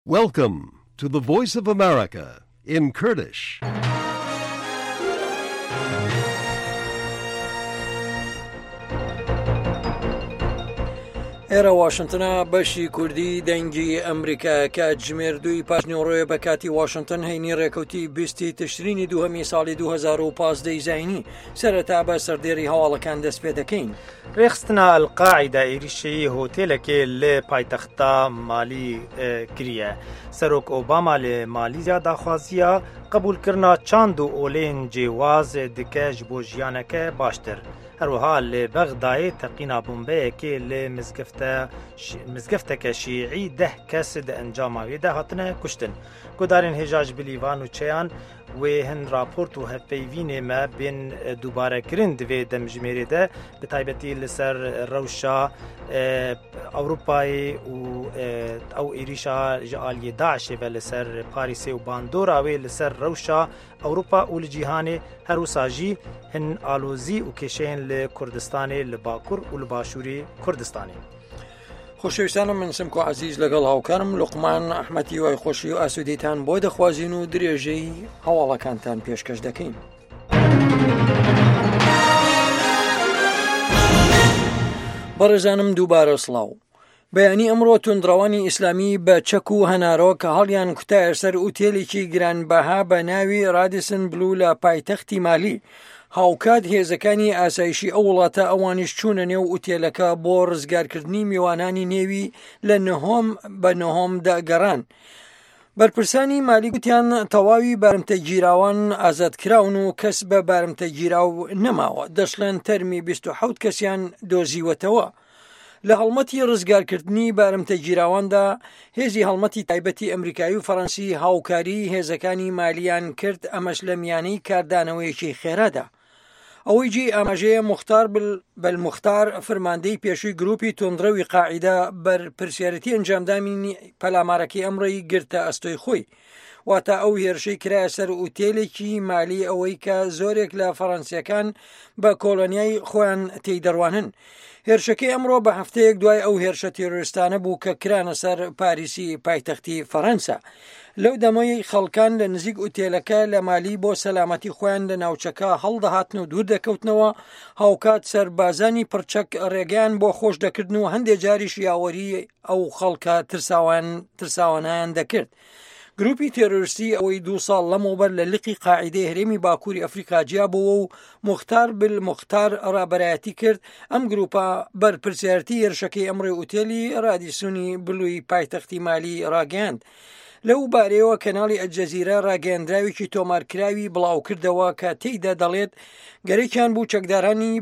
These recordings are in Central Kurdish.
Welcome to the Voice of America in Kurdish. ئێرە واشنتنە بەشی کوردی دەنگی ئەمریکا کاتژمێر دووی پاشنیوەڕۆیە بە کاتی واشنتن هەینی ڕێکەوتی بیستی تشرینی دووهەمی ساڵی 2015 زینی سەرەتا بە سەردێری هەواڵەکان دەست پێ دەکەین. Rêxistina El Qaîde êrîşî hotêlekê li paytexta Malî kiriye. Serok Obama li Malîzya daxwaziya qebûlkirina çand û olên cêwaz dike ji bo jiyaneke baştir. Her wiha li Bexdayê teqîna bombeyekê li mizgefteke şîî deh kes di encama wê de hatine kuştin. Guhdarên hêja ji bilî van nûçeyan Wê hin raport û hevpeyvînê me bên dubarekirin di vê demjimêrê de, bi taybetî li ser rewşa Ewropayê û ew êrîşa ji aliyê DAIŞ'ê ve li ser Parîsê û bandora wê li ser rewşa Ewropa û li cîhanê, her wisa jî hin alozî û kêşeyên li Kurdistanê li Bakur û li Başûrê Kurdistanê. خۆشەویستانم من سمکۆ عەزیز لەگەڵ هاوکارم لوقمان ئەحمەد هیوای خۆشی و ئاسوودەیتان بۆ دەخوازین و درێژەی هەواڵەکانتان پێشکەش دەکەین. بەڕێزانم دووبارە سڵاو. بەیانی ئەمڕۆ توندڕەوانی ئیسلامی بە چەک و هەنارۆک هەڵیان کوتایە سەر ئوتێلێکی گرانبەها بە ناوی رادیسن بلو لە پایتەختی مالی. هاوکات هێزەکانی ئاسایشی ئەو وڵاتە ئەوانیش چوونە نێو ئوتێلەکە بۆ ڕزگارکردنی میوانانی نێوی لە نهۆم بە نهۆم دەگەڕان. بەرپرسانی مالی گوتیان تەواوی بارمتە گیراوان ئازاد کراون و کەس بە بارمتە گیراو نەماوە، دەشڵێن تەرمی 27 کەسیان دۆزیوەتەوە. لە هەڵمەتی ڕزگارکردنی بارمتە گیراواندا، هێزی هەڵمەتی تایبەتی ئەمریکایی و فەڕەنسی هاوکاریی هێزەکانی مالیان کرد، ئەمەش لە میانەی کاردانەوەیەکی خێرادا. ئەوەی جێی ئاماژەیە موختار بەلموختار فرماندەی پێشووی گروپی توندڕەوی قاعیدە بەرپرسیارێتی ئەنجامدانی پەلامارەکەی ئەمڕۆی گرتە ئەستۆی خۆی. واتە ئەو هێرشەی کرایە سەر ئوتێلێکی مالی ئەوەی کە زۆرێک لە فەڕەنسیەکان بە کۆلۆنیای خۆیان تێی دەڕوانن. هێرشەکەی ئەمڕۆ بە هەفتەیەک دوای ئەو هێرشە تیرۆریستانە بوو کە کرانە سەر پاریسی پایتەختی فەڕەنسا. لەو دەمەی خەڵکان لە نزیک ئوتێلەکە لە مالی بۆ سەلامەتی خۆیان لە ناوچەکە هەڵدەهاتن و دوور دەکەوتنەوە، هاوکات سەربازانی پڕچەک ڕێگەیان بۆ خۆش دەکردن و هەندێ جاریش یاوەری ئەو خەڵکە ترساوان ترساوانیان دەکرد. گروپی تێرۆریستی ئەوەی دوو ساڵ لەمەوبەر لە لقی قاعیدەی هەرێمی باکووری ئەفریقا جیابەوە و موختار بل موختار ڕابەرایەتی کرد، ئەم گروپە بەرپرسیارەتی هێرشەکەی ئەمڕۆی ئوتێلی ڕادیسونی بلوی پایتەختی مالی ڕاگەیاند. لەو بارەیەوە کەناڵی ئەلجەزیرە ڕاگەیەندراوێکی تۆمارکراوی بڵاوکردەوە کە تێیدا دەڵێت گەرەکیان بوو چەکدارانی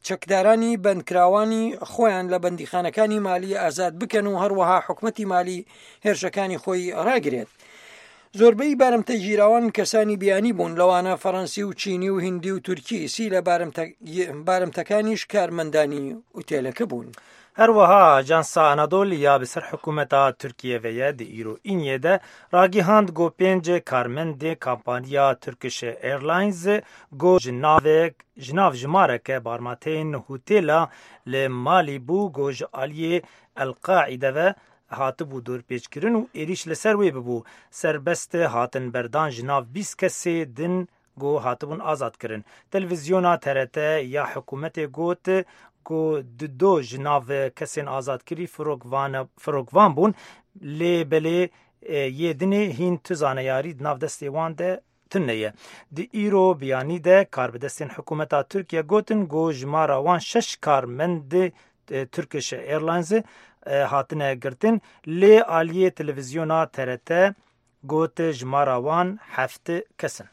چەکدارانی بەندکراوانی خۆیان لە بەندیخانەکانی مالی ئازاد بکەن و هەروەها حکومەتی مالی هێرشەکانی خۆی ڕاگرێت. زۆربەی بارمتە گیراوان کەسانی بیانی بوون لەوانە فەڕەنسی و چینی و هندی و تورکی سی لە بارمتەکانیش کارمەندانی ئوتێلەکە بوون. هەروەها ئاژانسا ئەنادۆلی ya bi ser hikûmeta Tirkiyê ve ye di îro îniyê de ragihand ku pênc karmendê kampaniya Turkish Airlines ku ji navek ji nav jimareke barmateyên hotêla li Malî bû ku ji aliyê El Qaîde ve hatibû dorpêçkirin û êrîş li ser wê bibû, serbest hatin berdan ji nav 20 kesê din ku hatibûn azadkirin. Televîzyona TRT ya hikûmetê got ku du do ji nav kesên azadkirî firokvan bûn lê belê yê dinê hîn tu zaneyarî di nav destê wan de tune ye. Di îro biyanî de karbidestên hikûmeta Tirkiye gotin ku jimara wan şeş karmendê Turkish Airlines hatine girtin lê aliyê televizyona TRT got jimara wan heft kes in.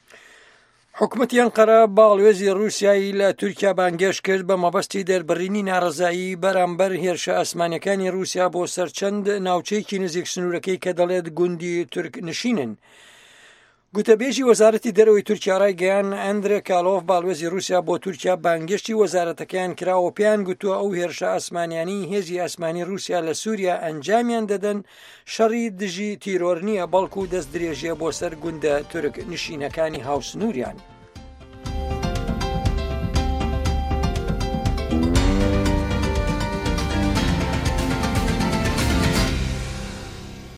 حکومەتی ئەنقەرە باڵوێزی ڕووسیای لە تورکیا بانگێشت کرد بە مەبەستی دەربڕینی ناڕەزایی بەرامبەر هێرشە ئاسمانیەکانی ڕووسیا بۆ سەر چەند ناوچەیەکی نزیک سنوورەکەی کە دەڵێت گوندی تورک نشینن. گوتەبێژی وەزارەتی دەرەوەی تورکیا ڕایگەیاند، ئەندرێ کالۆف باڵوێزی ڕووسیا بۆ تورکیا بانگێشتی وەزارەتەکەیان کراوە و پێیان گوتووە ئەو هێرشە ئاسمانیانەی هێزی ئاسمانی ڕووسیا لە سووریا ئەنجامیان دەدەن شەڕی دژی تیرۆر نییە بەڵکو دەستدرێژیە بۆ سەر گوندە تورک نشینەکانی هاوسنووریان.